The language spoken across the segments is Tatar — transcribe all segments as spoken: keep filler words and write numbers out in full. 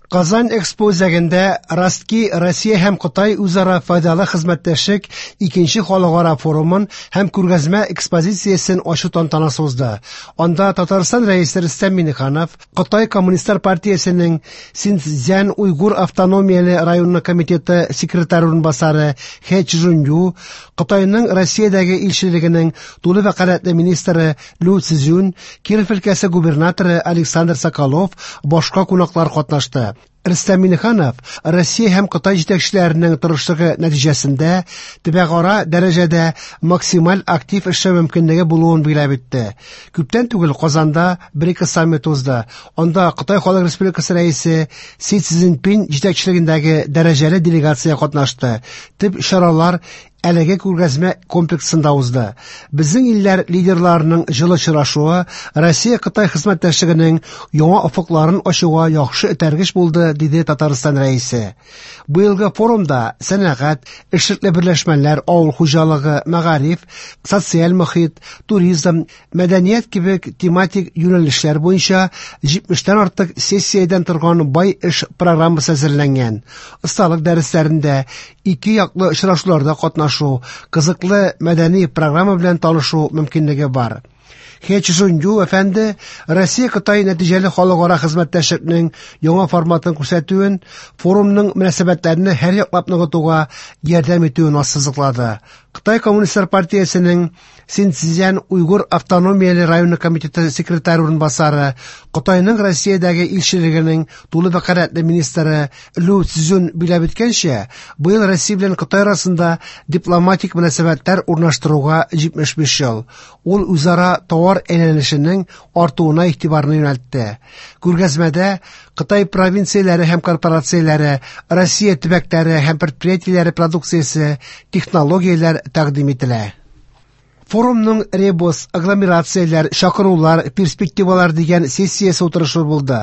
Казан Экспо үзәгендә Ростки Россия һәм Кытай үзара файдалы хезмәттәшлек икенче халыкара форумын һәм күргәзмә экспозициясен ачу тантанасы узды. Анда Татарстан Рәисе Рөстәм Миңнеханов, Кытай Коммунистлар партиясенең Синьцзян Уйгур автономияле районы комитеты секретаре урынбасары Хэ Чжунью, Кытайның Россиядәге илчелегенең тулы вәкаләтле министры Лю Цзюнь, Киров өлкәсе губернаторы Александр Соколов, башка кунаклар катнашты. Рөстәм Миңнеханов Россия һәм Кытай җитәкчеләренең тырышлыгы нәтиҗәсендә төбәкара дәрәҗәдә максималь актив эшләү мөмкинлеге булуын билгеләп үтте. Күптән түгел Казанда бер-ике саммит узды. Анда Кытай Халык Республикасы Рәисе Си Цзиньпин җитәкчелегендәге дәрәҗәле делегация катнашты. Төп чаралар әлеге күргәзмә комплексында узды. Безнең илләр лидерларының җылы очрашуы Россия-Кытай хезмәттәшлегенең яңа офыкларын ачуга яхшы этәргеч булды, диде Татарстан Рәисе. Быелгы форумда сәнәгать, эшлекле берләшмәләр, авыл хуҗалыгы, мәгариф, социаль мохит, туризм, мәдәният кебек тематик юнәлешләр буенча җитмештән артык сессиядән торган бай эш программасы әзерләнгән. Осталык дәресләрендә ике яклы очрашуларда катнашу, кызыклы мәдәни программа белән танышу мөмкинлеге бар. Хэ Чжунью әфәнде Россия-Кытай нәтиҗәле халыкара хезмәттәшлекнең яңа форматын күрсәтүен, форумның мөнәсәбәтләрне һәр яклап ныгытуга ярдәм итүен ассызыклады. Кытай Коммунистлар партиясенең Синьцзян Уйгур автономияле районы комитеты секретаре урынбасары, Кытайның Россиядәге илчелегенең тулы вәкаләтле министры Лю Цзюнь билгеләп үткәнчә, быел Россия белән Кытай арасында дипломатик мөнәсәбәтләр урнаштыруга җитмеш биш ел. Ул үзара товар әйләнешенең артуына игътибарны юнәлтте. Күргәзмәдә Кытай провинцияләре һәм корпорацияләре, Россия төбәкләре һәм предприятиеләре продукциясе, технологияләр тәкъдим ителә. Форумның ребус, агломерацияләр, чакырулар, перспективалар дигән сессиясе утырышы булды.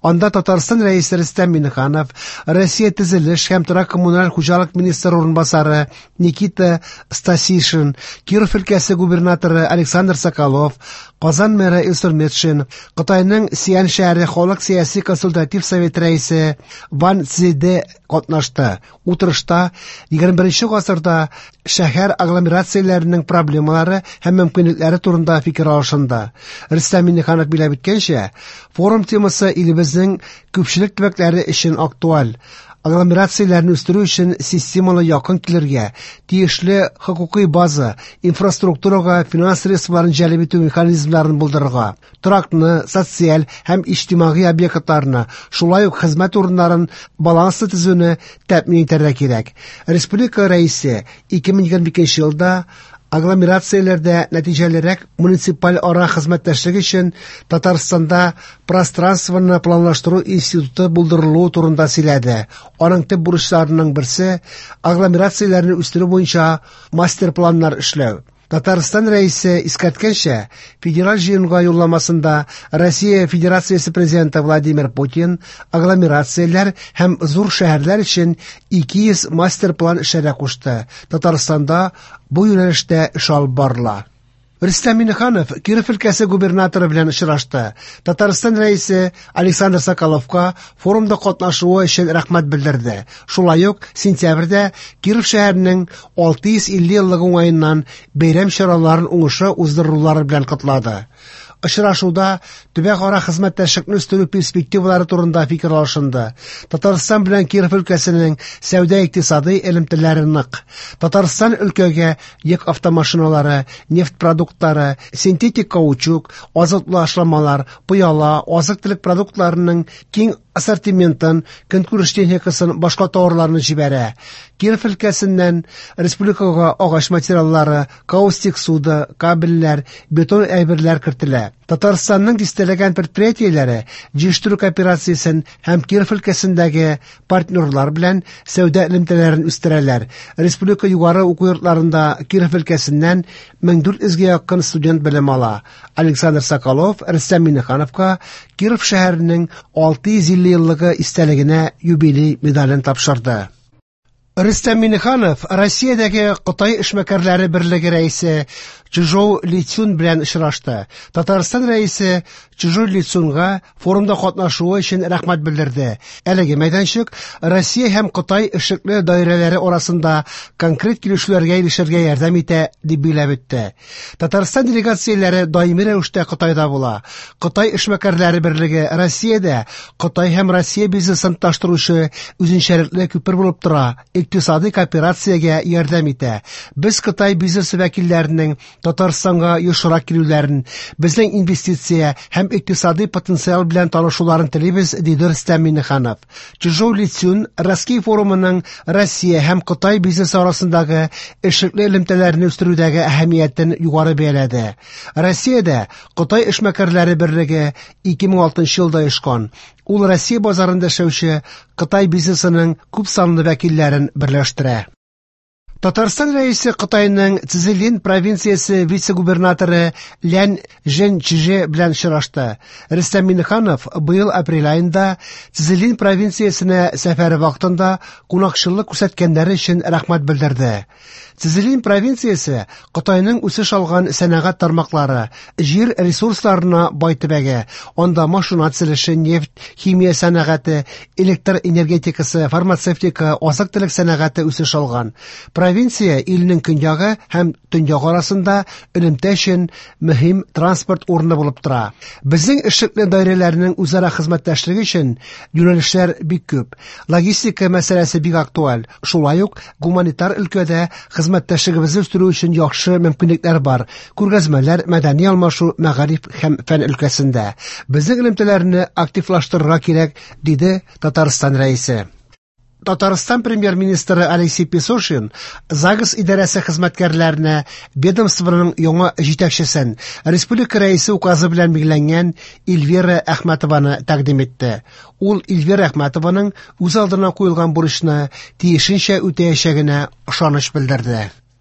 Анда Татарстан Рәисе Рөстәм Миңнеханов, Россия төзелеш һәм торак коммуналь хуҗалык министры урынбасары Никита Стасишин, Киров өлкәсе губернаторы Александр Соколов, Казан мэры Илсур Метшин, Кытайның Сиан шәһәре халык сәяси консультатив совет рәисе Ван Цзэде катнашты. Утырышта егерме беренче гасырда шәһәр агломерацияләренең проблемалары һәм мөмкинлекләре турында фикер алышынды. Рөстәм Миңнеханов билгеләп үткәнчә, форум темасы илебезнең күпчелек төбәкләре өчен актуаль. Агломерацияләрне үстерү өчен системалы якын килергә, тиешле хокукый база, инфраструктурага финанс средстволарын җәлеп итү механизмнарын булдырырга, торакны, социаль һәм иҗтимагый объектларны, шулай ук хезмәт урыннарын баланслы төзүне тәэмин итәргә кирәк. Республика Рәисе ике мең егерме икенче елда агломерацияләрдә нәтиҗәлерәк муниципаль ара хезмәттәшлек өчен Татарстанда пространствоны планлаштыру институты булдырылуы турында сөйләде. Аның төп бурычларының берсе агломерацияләрне үстерү буенча мастер-планнар эшләү. Татарстан Рәисе искәрткәнчә, федераль җыенга юлламасында Россия Федерациясе Президенты Владимир Путин агломерацияләр һәм зур шәһәрләр өчен ике йөз мастер-план эшләргә кушты. Татарстанда бу юнәлештә эш алып барыла. Рөстәм Миңнеханов Киров өлкәсе губернаторы белән очрашты. Татарстан Рәисе Александр Соколовка форумда катнашуы өчен рәхмәт белдерде. Шулай ук сентябрьдә Киров шәһәренең алты йөз илле еллыгы уңаеннан бәйрәм чараларын уңышлы уздырулары белән котлады. Очрашуда төбәкара хезмәттәшлекне үстерү перспективалары турында фикер алышынды. Татарстан белән Киров өлкәсенең сәүдә-икътисади элемтәләре нык. Татарстан өлкәгә йөк автомашиналары, нефть продуктлары, синтетик каучук, азотлы ашламалар, пыяла, азык-төлек продуктларының киң ассортиментын, көнкүреш техникасын, башка товарларны җибәрә. Киров өлкәсеннән республикага агач материаллары, каустик суда, кабельләр, бетон әйберләр кертелә. Татарстанның дистәләгән предприятиеләре җыештыру кооперациясен һәм Киров өлкәсендәге партнерлар белән сәүдә элемтәләрен үстерәләр. Республика югары уку йортларында Киров өлкәсеннән мең дүрт йөзгә якын студент белем ала. Александр Соколов Рөстәм Миңнехановка Киров шәһәренең алты йөз илле еллыгы истәлегенә юбилей медален тапшырды. Рөстәм Миңнеханов Россиядәге Кытай эшмәкәрләре берлеге рәисе Чжоу Лицун белән очрашты. Татарстан Рәисе Чжоу Лицунга форумда катнашуы өчен рәхмәт белдерде. Әлеге мәйданчык Россия һәм Кытай эшлекле даирәләре арасында конкрет килешүләргә ирешергә ярдәм итә, дип билгеләп үтте. Татарстан делегацияләре даими рәвештә Кытайда була. Кытай эшмәкәрләре берлеге Россиядә Кытай һәм Россия бизнесын таштыручы үзенчәлекле күпер булып тора, икътисади кооперациягә ярдәм итә. Без Кытай бизнесы вәкилләренең Татарстанга ешрак килүләрен, безнең инвестиция һәм икътисади потенциал белән танышуларын телибез, диде Рөстәм Миңнеханов. Чжоу Лицун Ростки форумының Россия һәм Кытай бизнесы арасындагы эшлекле элемтәләрне үстерүдәге әһәмиятен югары бәяләде. Россиядә Кытай эшмәкәрләре берлеге ике мең алтынчы елда оешкан. Ул Россия базарында эшләүче Кытай бизнесының күп санлы вәкилләрен берләштерә. Татарстан Рәисе Кытайның Цзилин провинциясе вице-губернаторы Лян Жэньчже белән очрашты. Рөстәм Миңнеханов быел апрель аенда Цзилин провинциясенә сәфәре вакытында кунакчыллык күрсәткәннәре өчен рәхмәт белдерде. Цзилин провинциясе Кытайның үсеш алган сәнәгать тармаклары, җир ресурсларына бай төбәге. Анда машина төзелеше, нефть, химия сәнәгате, электр энергетикасы, фармацевтика, азык-төлек сәнәгате үсеш алган. Провинция илнең көньягы һәм төньягы арасында элемтә өчен мөһим транспорт урыны булып тора. Безнең эшлекле даирәләрнең үзара хезмәттәшлеге өчен юнәлешләр бик күп. Логистика мәсьәләсе бик актуаль. Шулай ук гуманитар өлкәдә хезмәттәшлегебезне үстерү өчен яхшы мөмкинлекләр бар. Күргәзмәләр, мәдәни алмашу, мәгариф һәм фән өлкәсендә. Безнең элемтәләрне активлаштырырга кирәк, диде Татарстан Рәисе. Татарстан премьер-министры Алексей Песошин ЗАГС идарәсе хезмәткәрләренә ведомствоның яңа җитәкчесен республика рәисе указы белән билгеләнгән Эльвира Әхмәтованы тәкъдим итте. Ул Эльвира Әхмәтованың үз алдына куелган бурычны тиешенчә үтәячәгенә ышаныч белдерде.